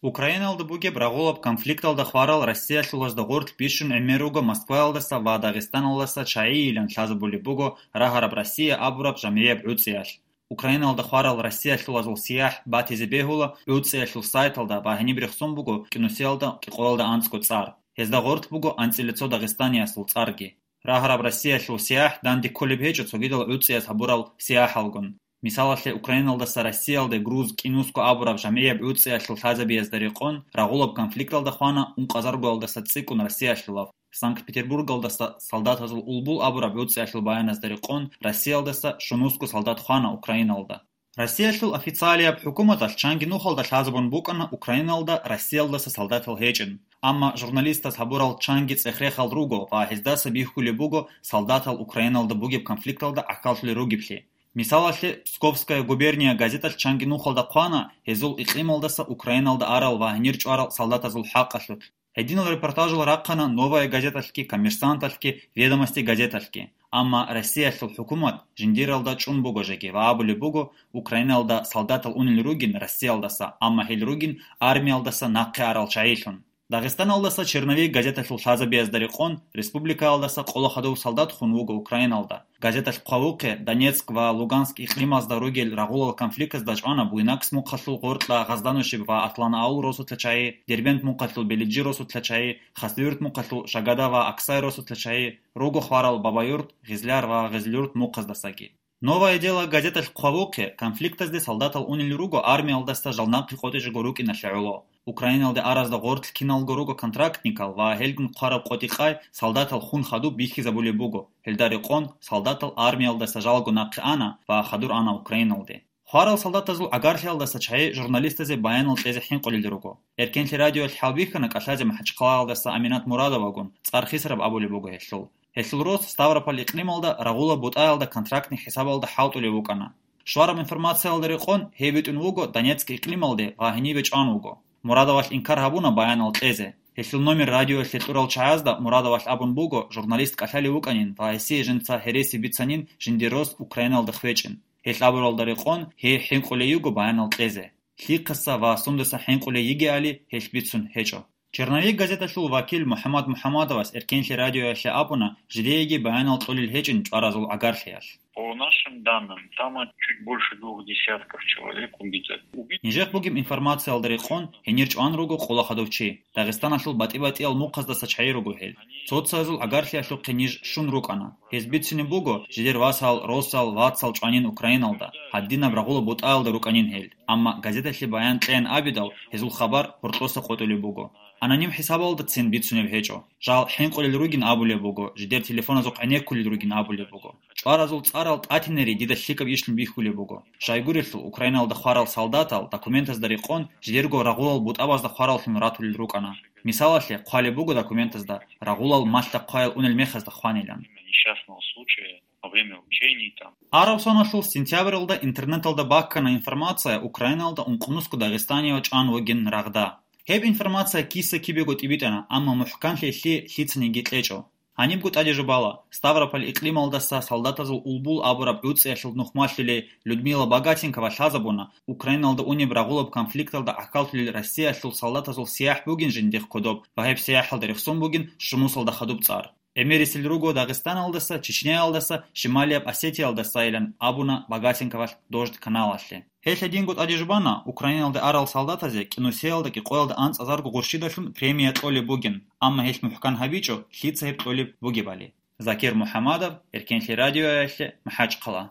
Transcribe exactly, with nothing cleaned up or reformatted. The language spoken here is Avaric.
Украиналда бугеб рагъулаб конфликталда хварал россиялъулазда гъорлъ бищун гӀемер руго Москваялдаса ва Дагъистаналдаса чагӀийилан лъазабулеб буго рагьараб Россия абураб жамгӀияб гӀуцӀиялъ. Украиналда хварал россиялъулазул сияхӀ батизе бегьула гӀуцӀиялъул сайталда ва гьениб рехсон буго кӀинусиялда кӀикъоялда анцӀго цӀар. Гьезда гъорлъ буго анцӀила цо дагъистаниясул цӀарги. Рагьараб Россиялъул сияхӀ данде кколеб гьечӀо цогидал гӀуцӀияс гьабурал сияхӀалгун. Мисалалъе, Украиналдаса Россиялде груз кӀинусго абураб жамгӀияб гӀуцӀиялъул лъазабиязда рекъон рагъулаб конфликталда хвана ункъазаргоялдаса цӀикӀкӀун Россиялъулаб. Санкт-Петербургалдаса солдатазул улбул абураб гӀуцӀиялъул баяназда рекъон Россиялдаса щунусго солдат хвана Украиналда. Россиялъул официалияб хӀукуматалъ чанги нухалда лъазабун букӀана Украиналда Россиялдаса солдатал гьечӀин. Амма журналистаз гьабурал чанги цӀех-рехал руго ва гьездаса бихьулеб буго солдатал Украиналда бугеб конфликталда гӀахьаллъулел ругеблъи. Мисалалъе, Псковская губерния газеталъ чанги нухалда хъвана гьезул икълималдаса Украиналда арал ва гьенир чӀварал солдатазул хӀакъалъулъ. Гьединал репортажал рахъана Новая газеталъги, Коммерсанталъги, Ведомости газеталъги. Амма Россиялъул хӀукумат жиндиралда чӀун буго жеги ва абулеб буго, Украиналда солдатал унел ругин Россиялдаса, амма гьел ругин армиялдаса нахъе арал чагӀилъун. Дагъистаналдаса «Черновик» газеталъул лъазабиязда рекъон республикаялдаса къоло хадув солдат хун вуго Украиналда. Газеталъ хъвавухъе, Донецк ва Луганск икълимазда ругел рагъулал конфликтазда чӀвана Буйнакск мухъалъул Гъоркьа Гъазданушиб ва Атланаул росулъа чагӀи, Дербент мухъалъул Белиджи росулъа чагӀи, Хасавюрт мухъалъул Шагада ва Аксай росулъа чагӀи, руго хварал Бабаюрт, Гъизляр ва Гъизлюрт мухъаздасаги. «Новое дело» газеталъ хъвавухъе, конфликтазде солдатал унел руго армиялдаса жал нахъе къотӀичӀого рукӀиналъе гӀоло. Украиналде аразда гъорлъ киналго руго контрактникал ва гьелгун хъвараб къотӀи-къай солдатал хун хадуб бихьизабулеб буго, гьелда рекъон солдатал армиялдаса жалго нахъе ана ва хадур ана Украиналде. Хварал солдатазул гӀагарлъиялдаса чагӀи журналистазе баянал кьезе хӀинкъулел руго. Эркенлъи радиоялъ хӀалбихьана кӀалъазе МахӀачхъалаялдаса Аминат Мурадовагун, цӀар Хисраб абулеб буго гьелъул. Гьелъул рос Ставрополь икълималда рагъула бутӀаялда контрактный хӀисабалда хӀалтӀулев вукӀана. Щвараб информациялда рекъон, гьев битӀун вуго Донецк икълималде ва гьенибе чӀван вуго. Мурадовалъ инкар гьабуна баянал кьезе. Гьелъул номер радиоялъе кьурал чагӀазда Мурадовалъ абун буго, журналист кӀалъалев вукӀанин ва гьесие жинца гьереси бицанин жиндир рос Украиналда хвечӀин. Гьелъ абуралда рекъон, гьей хӀинкъулей йиго баянал кьезе. Лъихъаса ва сундаса хӀинкъулей йигеали гьелъ бицун гьечӀо. «Черновик» газеталъул вакил МухӀаммад МухӀаммадовас Эркенлъи радиоялъе абуна жидееги баянал кьолел гьечӀин чӀваразул гӀагарлъиялъ. По нашим данным, там чуть больше двух десятков человек убито. Убит- Нижехъ бугеб информациялда рекъон, гьенир чӀван руго къола хадув чи. Дагъистаналъул батӀи-батӀиял мухъаздаса чагӀи руго гьел. Цо-цоязул гӀагарлъиялъухъе ниж щун рукӀана. Гьез бицине буго, жидер васал, росал, вацал чӀванин Украиналда, гьадинаб рагъула бутӀаялда рукӀанин гьел. Амма газеталъе баян кьеян абидал, гьезул хабар гьоркьоса къотӀулеб буго. Аноним хӀисабалдацин бицунеб гьечӀо. Жал хӀинкъулел ругин абулеб буго, жидер телефоназухъ гӀенеккулел ругин абулеб буго. ЧӀваразул цӀарал тӀатинери дида лъикӀаб ишлъун бихьулеб буго. Щайгурелъул, Украиналда хварал солдатал документазда рекъон жидерго рагъулал бутӀабазда хвараллъун ратулел рукӀана. Мисалалъе, хъвалеб буго документазда, рагъулал малъа хъваял унел мехазда хванилан. Несчастного случая во время учений там. Араб соналъул сентябралда интернеталда баккана информация, Украиналда ункънусго дагъистанияв чӀван вугин рагъда. Гьеб информация киса-кибего тӀибитӀана, амма мухӀканлъи лъи лъицаниги кьечӀо. Гьанибго тӀаде жубала, Ставрополь икълималдаса солдатазул улбул абураб гӀуцӀиялъул нухмалъулей Людмила Богатенкова лъазабуна, Украиналда унеб рагъулаб конфликталда гӀахьаллъулел Россиялъул солдатазул сияхӀ бугин жиндихъ кодоб ва гьеб сияхӀалда рехсон бугин щунусалда хадуб цӀар. ГӀемерисел руго Дагъистаналдаса, Чечняялдаса, Шималияб Осетиялдасайилан абуна Богатенковалъ Дождь каналалъе. Гьелъ гьединго тӀаде жубана, Украиналда арал солдатазе кӀинусиялда кӀикъоялда анцӀазарго гъурщидалъун премия кьолеб бугин, амма гьелъ мухӀкан гьабичӀо, лъица гьеб кьолеб бугебали. Закир МухӀамадов, Эркенлъи радиоялъе, МахӀачхъала.